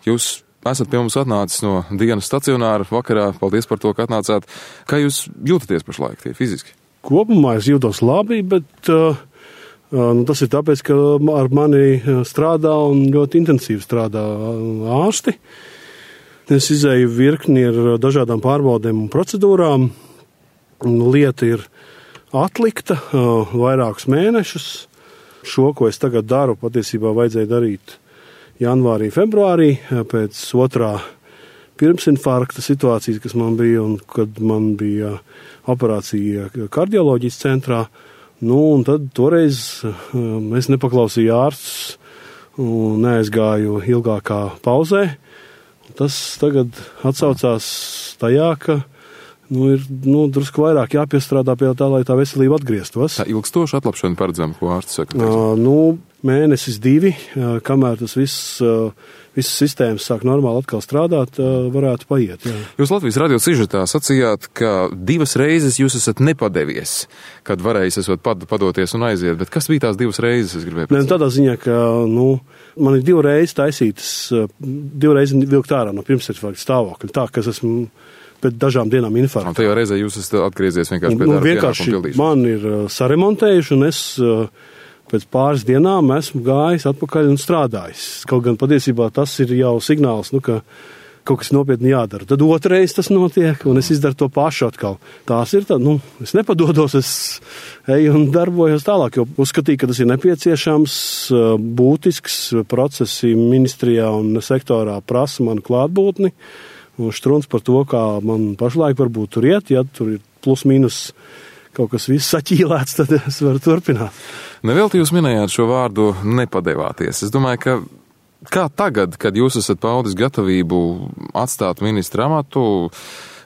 Jūs esat pie mums atnācis no dienas stacionāra vakarā. Paldies par to, ka atnācāt. Kā jūs jūtaties pašlaik tie fiziski? Kopumā es jūtos labi, bet tas ir tāpēc, ka ar mani strādā un ļoti intensīvi strādā ārsti. Es izēju virkni ar dažādām pārbaudēm un procedūrām. Lieta ir atlikta vairākus mēnešus. Šo, ko es tagad daru, patiesībā vajadzēja darīt janvārī, februārī, pēc otrā pirmsinfarkta situācijas, kas man bija, un kad man bija operācija kardioloģijas centrā. Un tad toreiz es nepaklausīju ārstus un neaizgāju ilgākā pauzē. Tas tagad atsaucās tajā, ka ir drusku vairāk jāpiestrādā pie tā, lai tā veselība atgrieztos. Tā ilgstoša atlapšana paredzama, ko ārsts saka? Mēnesis, 2, kamēr tas visas sistēmas sāk normāli atkal strādāt, varētu paiet. Jā. Jūs Latvijas radio sižetā sacījāt, ka 2 reizes jūs esat nepadevies, kad varējis esot padoties un aiziet, bet kas bija tās 2 reizes, es gribēju pēc? Tādā ziņā, ka man ir 2 reizes taisītas, 2 reizes vilkt ārā no pirmsinfarkta stāvokļa, tā, ka es esmu pēc dažām dienām infarktā. Un tajā reizē jūs esat atgriezies vienkārši pie darba pienākumu pildīšanas? Man ir saremontējuši, un es pēc pāris dienām esmu gājis atpakaļ un strādājis. Kaut gan patiesībā tas ir jau signāls, ka kaut kas nopietni jādara. Tad otrais tas notiek, un es izdaru to pašu atkal. Tās ir tā, es nepadodos, es eju un darbojos tālāk, jo uzskatīju, ka tas ir nepieciešams, būtisks procesi ministrijā un sektorā prasa manu klātbūtni. Un štruns par to, kā man pašlaik varbūt tur iet, ja tur ir plus mīnus kaut kas viss saķīlēts, tad es varu turpināt. Nevelti jūs minējāt šo vārdu nepadevāties. Es domāju, kā tagad, kad jūs esat paudis gatavību atstāt ministra amatu,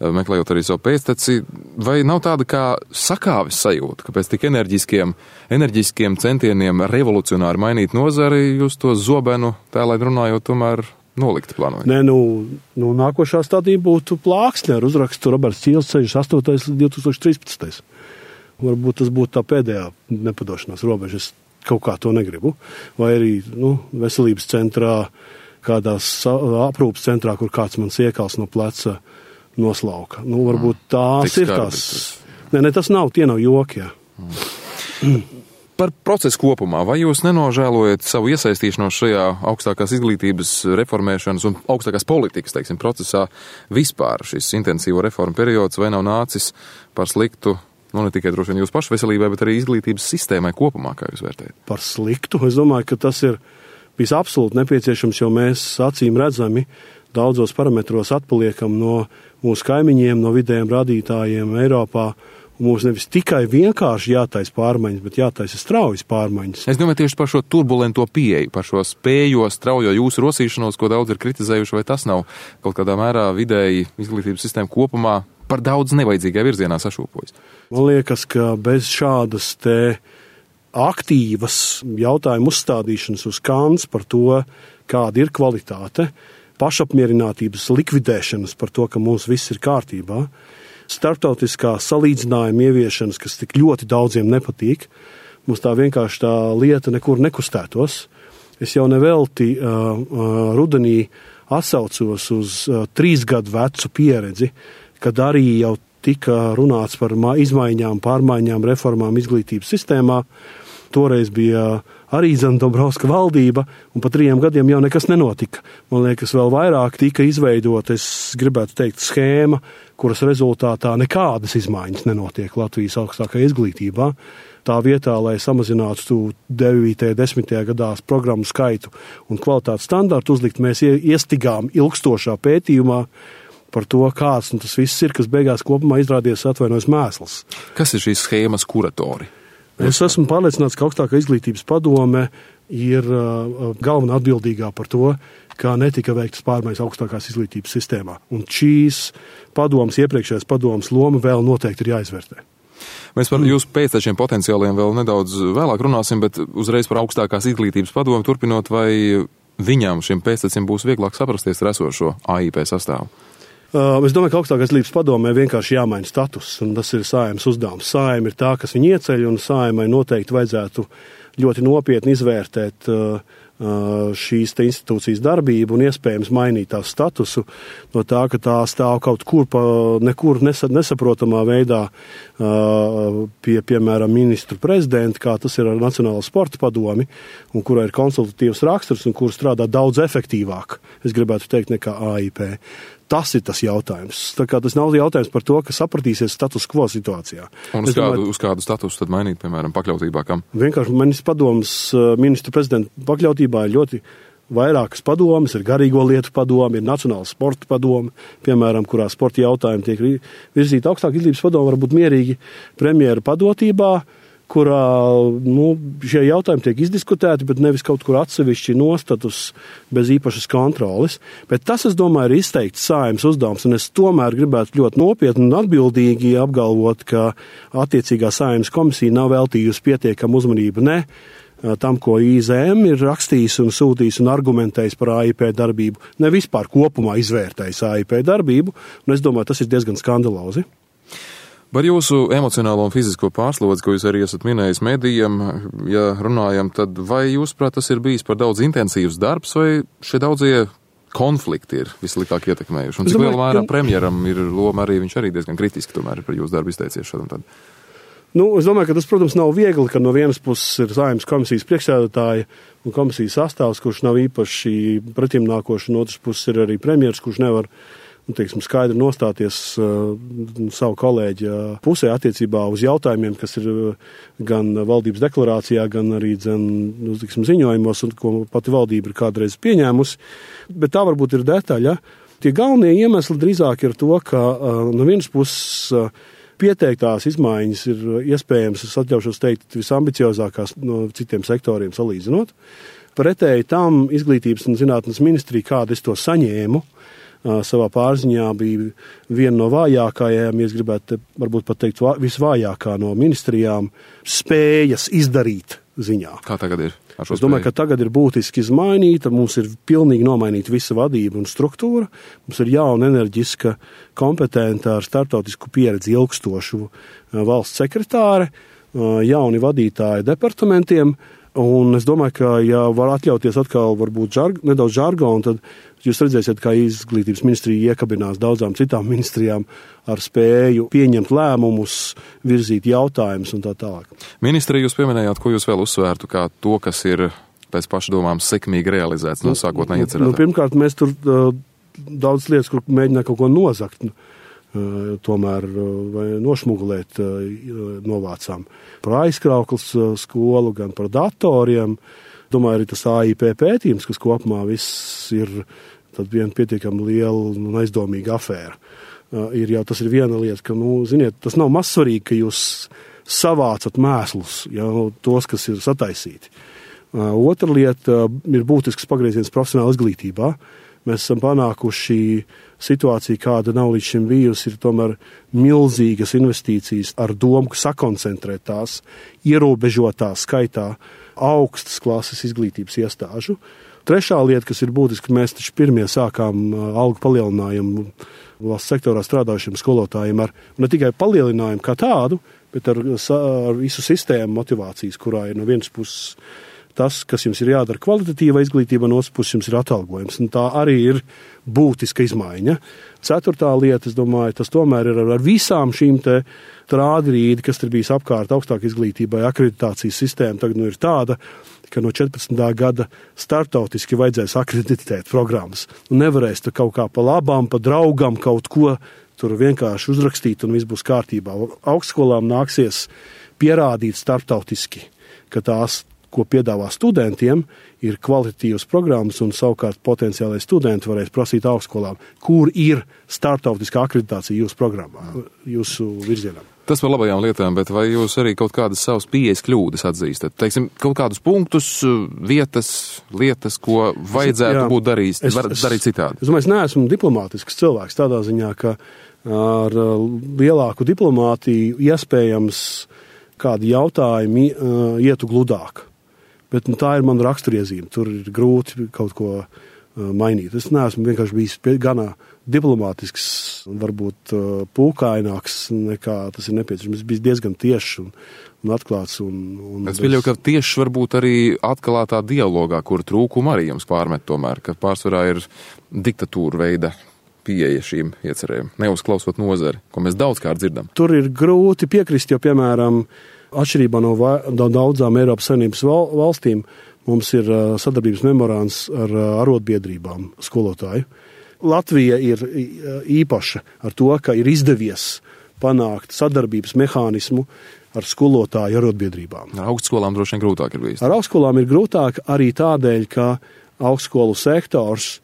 meklējot arī savu pēcteci, vai nav tāda kā sakāves sajūta, ka pēc tik enerģiskiem centieniem revolucionāri mainīt nozari, jūs to zobenu, tēlēt runājot, tomēr nolikt plānojot? Nē, nākošā stadija būtu plāksne ar uzrakstu Roberts Cīles ceļš 8. līdz 2013. Varbūt tas būtu tā pēdējā nepadošanās robeža. Es kaut kā to negribu. Vai arī veselības centrā, kādās aprūpas centrā, kur kāds mans iekals no pleca noslauka. Varbūt tās ir tās. Nē, tas nav, tie nav joki. Par procesu kopumā, vai jūs nenožēlojat savu iesaistīšanos šajā augstākās izglītības reformēšanas un augstākās politikas, procesā vispār šis intensīvo reformu periods, vai nav nācis par sliktu, ne tikai droši vien jūsu pašu veselībai, bet arī izglītības sistēmai kopumā, kā jūs vērtējat? Par sliktu? Es domāju, ka tas ir bijis absolūti nepieciešams, jo mēs acīm redzami daudzos parametros atpaliekam no mūsu kaimiņiem, no vidējiem rādītājiem Eiropā. Mums nevis tikai vienkārši jātaisa pārmaiņas, bet jātaisa straujas pārmaiņas. Es domāju tieši par šo turbulento pieeju, par šo spējo, straujo jūsu rosīšanos, ko daudz ir kritizējuši, vai tas nav kaut kādā mērā vidēji izglītības sistēma kopumā par daudz nevajadzīgā virzienā sašūpojas? Man liekas, ka bez šādas te aktīvas jautājumu uzstādīšanas uz kants par to, kāda ir kvalitāte, pašapmierinātības likvidēšanas par to, ka mums viss ir kārtībā, starptautiskā salīdzinājuma ieviešanas, kas tik ļoti daudziem nepatīk, mums tā vienkārši tā lieta nekur nekustētos. Es jau nevelti rudenī atsaucos uz 3 gadu vecu pieredzi, kad arī jau tika runāts par izmaiņām, pārmaiņām, reformām izglītības sistēmā. Toreiz bija arī Dombrovska valdība, un pa 3 gadiem jau nekas nenotika. Man liekas, vēl vairāk tika izveidot, es gribētu teikt, schēma, kuras rezultātā nekādas izmaiņas nenotiek Latvijas augstākajā izglītībā. Tā vietā, lai samazinātu 9. 10. gadās programmu skaitu un kvalitātes standartu uzlikt, mēs iestigām ilgstošā pētījumā par to, kāds tas viss ir, kas beigās kopumā izrādies atvainojas mēsls. Kas ir šīs schēmas kuratori? Es esmu pārliecināts, ka augstākā izglītības padome ir galvenā atbildīgā par to, kā netika veiktas pārmaiņas augstākās izglītības sistēmā. Un šīs padomas, iepriekšējās padomas loma vēl noteikti ir jāizvērtē. Mēs par jūsu pēctečiem potenciāliem vēl nedaudz vēlāk runāsim, bet uzreiz par augstākās izglītības padomu turpinot, vai viņām šiem pēctečiem būs vieglāk saprasties ar esošo AIP sastāvu? Es domāju, ka augstākās izglītības padomē vienkārši jāmaina status, un tas ir Saeimas uzdevums. Saeima ir tā, kas viņu ieceļ, un Saeimai noteikti vajadzētu ļoti nopietni izvērtēt šīs te institūcijas darbību un iespējams mainīt tās statusu no tā, ka tā stāv kaut kur nekur nesaprotamā veidā piemēram, ministru prezidenta, kā tas ir ar Nacionālo sporta padomi, un kurā ir konsultatīvs raksturs un kur strādā daudz efektīvāk, es gribētu teikt, nekā AIP. Tas ir tas jautājums. Tā kā tas nav jautājums par to, ka sapratīsies status quo situācijā. Un uz kādu statusu tad mainīt, piemēram, pakļautībā kam? Vienkārši ministru prezidenta pakļautībā ir ļoti vairākas padomes, ir garīgo lietu padome, ir Nacionāla sporta padome, piemēram, kurā sporta jautājumi tiek virzīti augstāk izglītības padome, varbūt mierīgi premjera padotībā, kurā šie jautājumi tiek izdiskutēti, bet nevis kaut kur atsevišķi nostatus bez īpašas kontroles. Bet tas, es domāju, ir izteikts Saeimas uzdevums, un es tomēr gribētu ļoti nopietni un atbildīgi apgalvot, ka attiecīgā Saeimas komisija nav veltījusi pietiekamu uzmanību tam, ko IZM ir rakstījis un sūtījis un argumentējis par AIP darbību, ne vispār kopumā izvērtējis AIP darbību, un es domāju, tas ir diezgan skandalozi. Par jūsu emocionālo un fizisko pārslodzi, ko jūs arī esat minējis medijam, ja runājam, tad vai jūsuprāt tas ir bijis par daudz intensīvs darbs, vai šie daudzie konflikti ir vislikāk ietekmējuši? Un cik lielā mērā premjeram ir loma arī, viņš arī diezgan kritiski tomēr par jūsu darbu izteicies šad un tad? Es domāju, ka tas, protams, nav viegli, ka no vienas puses ir Saeimas komisijas priekšsēdētāja un komisijas sastāvs, kurš nav īpaši pretimnākoši, un otras puses ir arī premjers, kurš nevar skaidri nostāties savu kolēģi pusē attiecībā uz jautājumiem, kas ir gan valdības deklarācijā, gan arī ziņojumos, un ko pati valdība ir kādreiz pieņēmusi. Bet tā varbūt ir detaļa. Tie galvenie iemesli drīzāk ir to, ka no vienas puses pieteiktās izmaiņas ir iespējams, es atļaušos teikt, visambiciozākās no citiem sektoriem salīdzinot. Pretēji tam izglītības un zinātnes ministrija, kāda es to saņēmu, savā pārziņā bija viena no vājākajām, ja es gribētu varbūt pat teikt visvājākā no ministrijām, spējas izdarīt ziņā. Kā tagad ir? Es domāju, ka tagad ir būtiski izmainīta, mums ir pilnīgi nomainīta visa vadība un struktūra, mums ir jauna enerģiska, kompetenta ar startautisku pieredzi ilgstošu valsts sekretāre, jauni vadītāji departamentiem, un es domāju, ka, ja var atļauties atkal varbūt nedaudz žargonu, tad jūs redzēsiet, kā izglītības ministrija iekabinās daudzām citām ministrijām ar spēju pieņemt lēmumus, virzīt jautājumus un tā tālāk. Ministri, jūs pieminējāt, ko jūs vēl uzsvērtu kā to, kas ir pēc pašdomām sekmīgi realizēts no sākotnēji iecerētā? Pirmkārt, mēs tur daudz lietas, kur mēģināt kaut ko nozakt, tomēr vai nošmugulēt novācām. Par aizkrauklas skolu, gan par datoriem. Domāju, arī tas AIP pētījums, kas kopumā viss ir tad viena pietiekami liela un aizdomīga afēra. Tas ir viena lieta, ka, ziniet, tas nav mazsvarīgi, ka jūs savācat mēslus, tos, kas ir sataisīti. Otra lieta ir būtisks pagrieziens profesionāla izglītībā. Mēs esam panākuši situāciju, kāda nav līdz šim bijusi, ir tomēr milzīgas investīcijas ar domu, ka sakoncentrēt tās ierobežotā skaitā augstas klases izglītības iestāžu. Trešā lieta, kas ir būtiska, mēs taču pirmie sākām algu palielinājumu valsts sektorā strādājušiem skolotājiem ar ne tikai palielinājumu kā tādu, bet ar visu sistēmu motivācijas, kurā ir no vienas puses tas, kas jums ir jādara kvalitatīva izglītība, no otras puses jums ir atalgojums. Un tā arī ir būtiska izmaiņa. Ceturtā lieta, es domāju, tas tomēr ir ar visām šīm te trādrīdi, kas ir bijis apkārt augstāk izglītībai, akreditācijas sistēma tagad ir tāda, ka no 14. gada startautiski vajadzēs akreditēt programmas. Nevarēs tur kaut kā pa labām, pa draugam kaut ko tur vienkārši uzrakstīt un viss būs kārtībā. Augstskolām nāksies pierādīt startautiski, ka tās, ko piedāvā studentiem, ir kvalitatīvas programmas, un savukārt potenciālai studenti varēs prasīt augstskolām, kur ir startautiskā akreditācija jūsu programmā, jūsu virzienā. Tas par labajām lietām, bet vai jūs arī kaut kādas savas pieejas kļūdas atzīstat? Teiksim, kaut kādus punktus, vietas, lietas, ko vajadzētu būt darīt citādi? Es domāju, es neesmu diplomātisks cilvēks tādā ziņā, ka ar lielāku diplomātiju iespējams kādi jautājumi ietu gludāk. Bet tā ir mana raksturiezīme. Tur ir grūti kaut ko mainīt. Es neesmu vienkārši bijis gana diplomātisks, varbūt pūkaināks, nekā tas ir nepieciešams. Es biju diezgan tiešs un atklāts. Es pieļauju, ka tieši varbūt arī atklātā dialogā, kur trūkumu arī jums pārmet tomēr, ka pārsvarā ir diktatūra veida pieeja šīm iecerēm, neuzklausot nozari, ko mēs daudzkārt dzirdam. Tur ir grūti piekrist, jo, piemēram, atšķirībā no daudzām Eiropas Savienības valstīm, mums ir sadarbības memorands ar arotbiedrībām skolotāju. Latvija ir īpaša ar to, ka ir izdevies panākt sadarbības mehānismu ar skolotāju arotbiedrībām. Ar augstskolām droši vien grūtāk ir bijis. Ar augstskolām ir grūtāk arī tādēļ, ka augstskolu sektors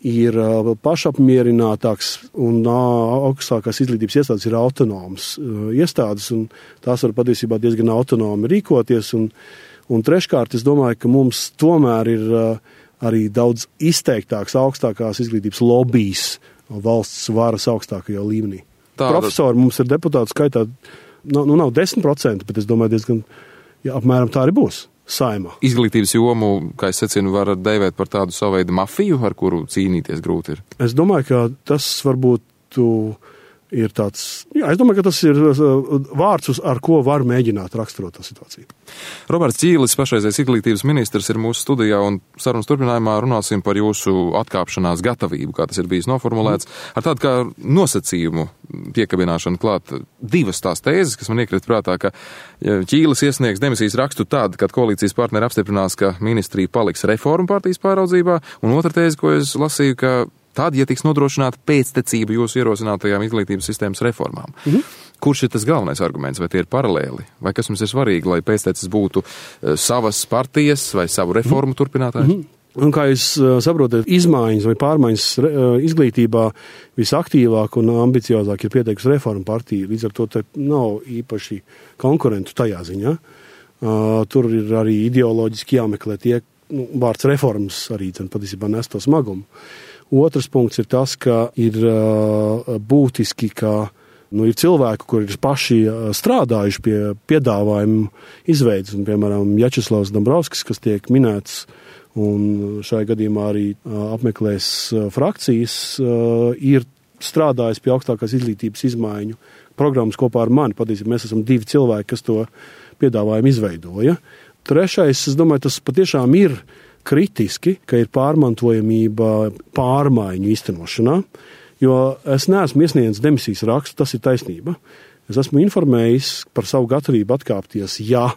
ir pašapmierinātāks un augstākās izglītības iestādes ir autonomas iestādes, un tās var patiesībā diezgan autonomi rīkoties. Un treškārt, es domāju, ka mums tomēr ir arī daudz izteiktāks augstākās izglītības lobbijs valsts varas augstākajā līmenī. Profesori mums ir deputātu skaitā, nav 10%, bet es domāju diezgan, apmēram tā arī būs. Saimā. Izglītības jomu, kā es secinu, var dēvēt par tādu savu veidu mafiju, ar kuru cīnīties grūti ir. Es domāju, ka tas varbūt ir tāds, es domāju, ka tas ir vārds, ar ko var mēģināt raksturot tā situāciju. Roberts Ķīlis, pašreizējais izglītības ministrs, ir mūsu studijā, un sarunas turpinājumā runāsim par jūsu atkāpšanās gatavību, kā tas ir bijis noformulēts, ar tādu kā nosacījumu piekabināšanu klāt divas tās tēzes, kas man iekrita prātā, ka Ķīlis iesniegs demisijas rakstu tad, kad koalīcijas partneri apstiprinās, ka ministrija paliks reformu partijas pāraudzībā, un otra tēze, ko es lasīju, ka tad, ja tiks nodrošināta pēctecība jūsu ierosinātajām izglītības sistēmas reformām. Kurš ir tas galvenais arguments, vai tie ir paralēli? Vai kas mums ir svarīgi, lai pēctecis būtu savas partijas vai savu reformu turpinātāji? Un kā jūs saprotat, izmaiņas vai pārmaiņas izglītībā visaktīvāk un ambiciozāk ir pieteikusi reformu partija, līdz ar to te nav īpaši konkurentu tajā ziņā. Tur ir arī ideoloģiski jāmeklē tie, vārds reformas arī patiesībā nes to smagumu. Otrs punkts ir tas, ka ir būtiski, ka ir cilvēki, kuri ir paši strādājuši pie piedāvājumu izveidas, un, piemēram, Jačeslavs Dombrovskis, kas tiek minēts, un šajā gadījumā arī apmeklēs frakcijas, ir strādājis pie augstākās izglītības izmaiņu programmas kopā ar mani. Patiesībā mēs esam divi cilvēki, kas to piedāvājumu izveidoja. Trešais, es domāju, tas patiešām ir kritiski, ka ir pārmantojamība pārmaiņu īstenošanā, jo es neesmu iesniedzis demisijas rakstu, tas ir taisnība. Es esmu informējis par savu gatavību atkāpties, ja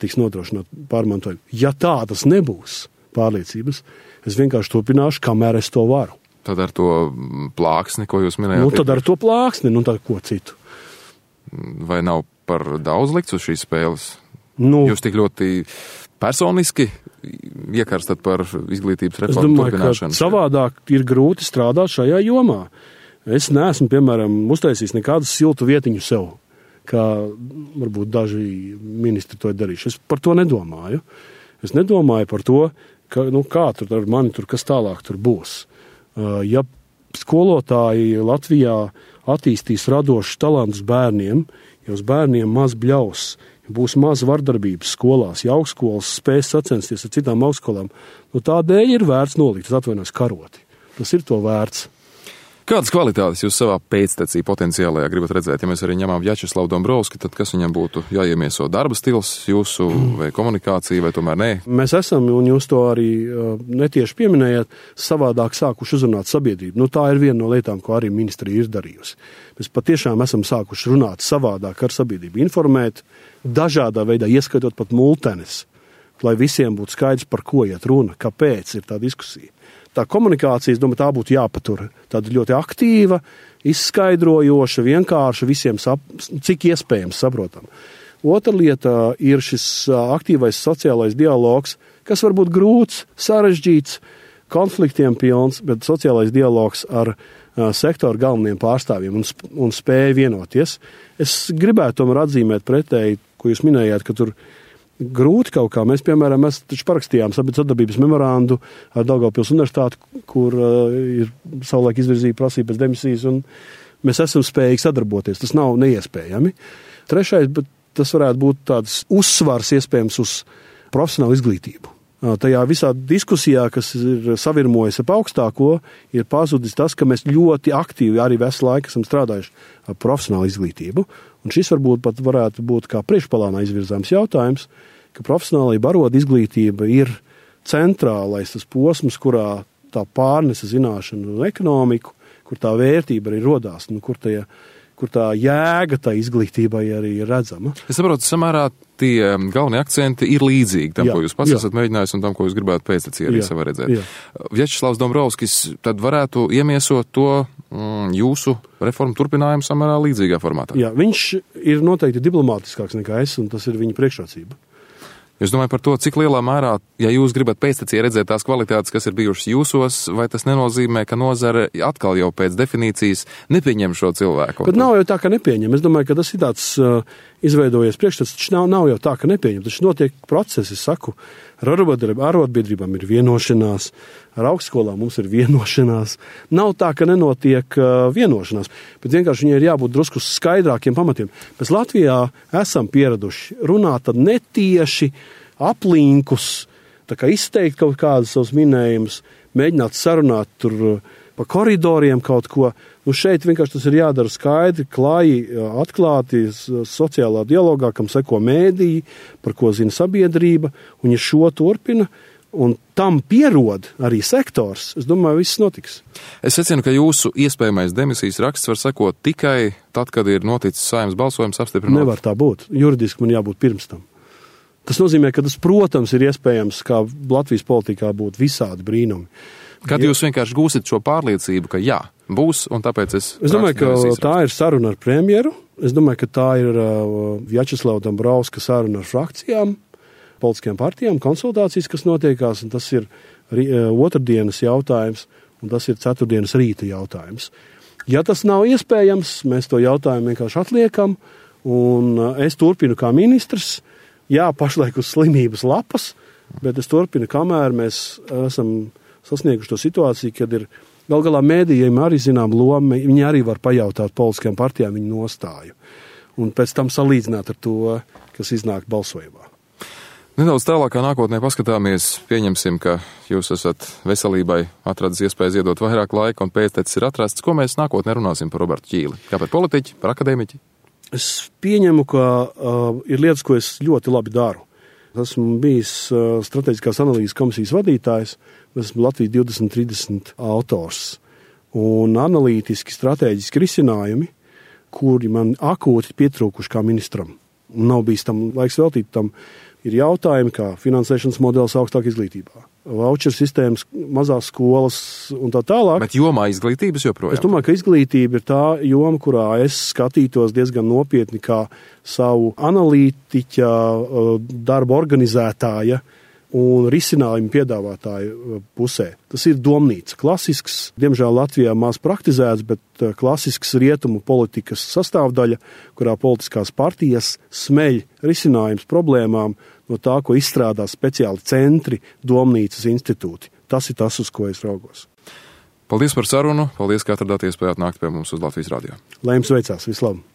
tiks nodrošināt pārmantojumu. Ja tādas nebūs pārliecības, es vienkārši turpināšu, kamēr es to varu. Tad ar to plāksni, ko jūs minējāt? Tad ar to plāksni, tad ko citu. Vai nav par daudz likts uz šīs spēles? Jūs tik ļoti personiski iekarstat par izglītības reformu turpināšanu? Es domāju, ka savādāk ir grūti strādāt šajā jomā. Es neesmu, piemēram, uztaisījis nekādu siltu vietiņu sev, kā varbūt daži ministri to ir darījuši. Es par to nedomāju. Es nedomāju par to, ka, kā tur ar mani tur, kas tālāk tur būs. Ja skolotāji Latvijā attīstīs radošus talantus bērniem, ja uz bērniem maz bļaus, būs maz vardarbības skolās, ja augstskolas spēs sacensties ar citām augstskolām, tādēļ ir vērts nolikt, es atvainojos, karoti. Tas ir to vērts. Kādas kvalitātes jūs savā pēctecī potenciālajā gribat redzēt? Ja mēs arī ņemam Jačeslavu Dombrovski, tad kas viņam būtu jāiemieso? Darba stils jūsu vai komunikācija, vai tomēr nē? Mēs esam, un jūs to arī netieši pieminējāt, savādāk sākuši uzrunāt sabiedrību. Tā ir viena no lietām, ko arī ministrija ir darījusi. Mēs patiešām esam sākuši runāt savādāk ar sabiedrību, informēt dažādā veidā, ieskaitot pat multenes, lai visiem būtu skaidrs, par ko iet runa, kāpēc ir tā diskusija. Tā komunikācija, es domāju, tā būtu jāpatur. Tāda ļoti aktīva, izskaidrojoša, vienkārša, visiem cik iespējams saprotam. Otra lieta ir šis aktīvais sociālais dialogs, kas var būt grūts, sarežģīts, konfliktiem pilns, bet sociālais dialogs ar sektoru galveniem pārstāvjiem un spēja vienoties. Es gribētu tomēr atzīmēt pretēji, ko jūs minējāt, ka tur grūti kaut kā. Mēs, piemēram, mēs taču parakstījām sadarbības memorandu ar Daugavpils universitāti, kur ir savulaik izvirzīja prasība pēc demisijas, un mēs esam spējīgi sadarboties. Tas nav neiespējami. Trešais, bet tas varētu būt tāds uzsvars iespējams uz profesionālu izglītību. tajā visā diskusijā, kas ir savirmojas ap augstāko, ir pazudis tas, ka mēs ļoti aktīvi arī visu laiku esam strādājuši ar profesionālu izglītību. Un šis varbūt pat varētu būt kā priekšplānā izvirzāms jautājums, ka profesionālajā baroda izglītība ir centrālais tas posms, kurā tā pārnesa zināšanu un ekonomiku, kur tā vērtība arī rodās, kur tā jēga tā izglītībai arī ir redzama. Es saprotu, samērā tie galvenie akcenti ir līdzīgi tam, ko jūs pats esat mēģinājis un tam, ko jūs gribētu pēctecī arī savā redzēt. Vjačeslavs Dombrovskis tad varētu iemiesot to jūsu reformu turpinājumu samērā līdzīgā formātā. Jā, viņš ir noteikti diplomātiskāks nekā es, un tas ir viņa priekšrocība. Es domāju par to, cik lielā mērā, ja jūs gribat pēctecī redzēt tās kvalitātes, kas ir bijušas jūsos, vai tas nenozīmē, ka nozare atkal jau pēc definīcijas nepieņem šo cilvēku? Bet nav jau tā, ka nepieņem. Es domāju, ka tas ir tāds izveidojies priekšstats, taču nav jau tā, ka nepieņem. Taču notiek procesi, saku, ar arotbiedrībām ir vienošanās, ar augstskolām mums ir vienošanās. Nav tā, ka nenotiek vienošanās, bet vienkārši viņai ir jābūt drusku skaidrākiem pamatiem. Mēs Latvijā esam pieraduši runāt tad netieši aplinkus, tā kā izteikt kaut kādas savus minējumus, mēģināt sarunāt tur pa koridoriem kaut ko. Šeit vienkārši tas ir jādara skaidri, klāji, atklāti, sociālā dialogā, kam seko mēdīji, par ko zina sabiedrība, un ja šo turpina, un tam pierod arī sektors, es domāju, viss notiks. Es secinu, ka jūsu iespējamais demisijas raksts var sekot tikai tad, kad ir noticis Saeimas balsojums apstiprinot. Nevar tā būt. Juridiski man jābūt pirms tam. Tas nozīmē, ka tas, protams, ir iespējams, kā Latvijas politikā būtu visādi brīnumi. Kad jūs vienkārši gūsit šo pārliecību, ka jā, būs, un tāpēc es domāju, ka tā ir saruna ar premjeru. Es domāju, ka tā ir Vjačeslava Dombrovska saruna ar frakcijām, politiskajām partijām, konsultācijas, kas notiekās, un tas ir otrdienas jautājums, un tas ir ceturtdienas rīta jautājums. Ja tas nav iespējams, mēs to jautājumu vienkārši atliekam, un es turpinu kā ministrs. Jā, pašlaik uz slimības lapas, bet es turpinu, kamēr mēs esam sasnieguši to situāciju, kad ir gal galā mēdījiem arī zinām loma, viņi arī var pajautāt politiskajām partijām viņu nostāju. Un pēc tam salīdzināt ar to, kas iznāk balsojumā. Nedaudz tālākā nākotnē paskatāmies, pieņemsim, ka jūs esat veselībai atradis iespēju iedot vairāk laika un pēctecis ir atrasts. Ko mēs nākotnē runāsim par Robertu Ķīli? Kā par politiķi, par akadēmiķi? Es pieņemu, ka ir lietas, ko es ļoti labi daru. Esmu bijis strateģiskās analīzes komisijas vadītājs, esmu Latvijas 2030 autors. Un analītiski, strateģiski risinājumi, kuri man akūti pietrūkuši kā ministram. Un nav bijis tam laiks veltīt tam, ir jautājumi kā finansēšanas modelis augstāk izglītībā. Voucher sistēmas, mazās skolas un tā tālāk. Bet jomā izglītības joprojām? Es domāju, ka izglītība ir tā joma, kurā es skatītos diezgan nopietni kā savu analītiķa, darba organizētāja un risinājumu piedāvātāju pusē. Tas ir domnīca. Klasisks, diemžēl Latvijā maz praktizēts, bet klasisks rietumu politikas sastāvdaļa, kurā politiskās partijas smeļ risinājums problēmām no tā, ko izstrādā speciāli centri, domnīcas institūti. Tas ir tas, uz ko es raugos. Paldies par sarunu, paldies, ka atradāt iespēju atnākt pie mums uz Latvijas radio. Lai jums veicās, vislabāk!